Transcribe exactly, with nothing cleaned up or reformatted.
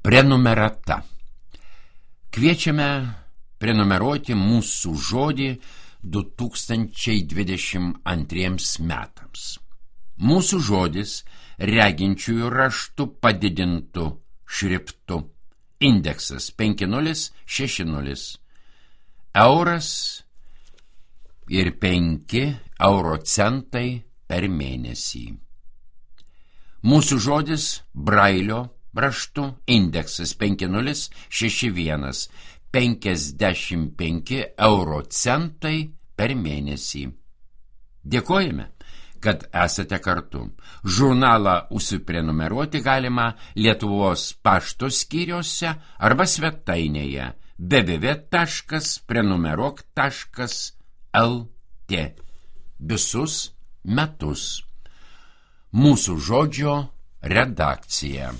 Prenumerata. Kviečiame prenumeruoti mūsų žodį du tūkstančiai dvidešimt antriems metams. Mūsų žodis reginčiųjų raštų padidintų šriftu. Indeksas penki nulis šeši nulis. Euras ir penki euro centai per mėnesį. Mūsų žodis brailio raštu. Indeksas penki nulis šeši vienas. penkiasdešimt penki euro centai per mėnesį. Dėkojame, kad esate kartu. Žurnalą užsiprenumeruoti galima Lietuvos pašto skyriuose arba svetainėje w w w taškas prenumeruok taškas l t visus metus. Mūsų žodžio redakcija.